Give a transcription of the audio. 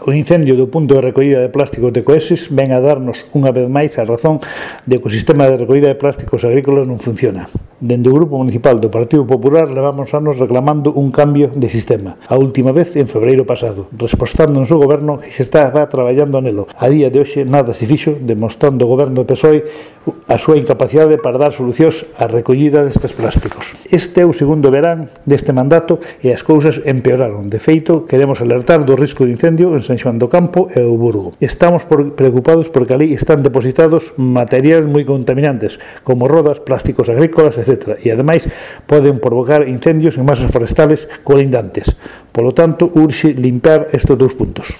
O incendio do punto de recollida de plásticos de Coeses ven a darnos unha vez máis a razón de que o sistema de recollida de plásticos agrícolas non funciona. Dende o Grupo Municipal do Partido Popular levamos anos reclamando un cambio de sistema. A última vez en febreiro pasado, respostándonos o Goberno que se estaba traballando nelo. A día de hoxe nada se fixo, demostrando o Goberno do PSOE a súa incapacidade para dar solucións á recollida destes plásticos. Este é o segundo verán deste mandato e as cousas empeoraron. De feito, queremos alertar do risco de incendio en San Xoán do Campo e o Burgo. Estamos preocupados porque ali están depositados materiais moi contaminantes, como rodas, plásticos agrícolas, etc. E, ademais, poden provocar incendios en masas forestales colindantes. Polo tanto, urxe limpiar estes dous puntos.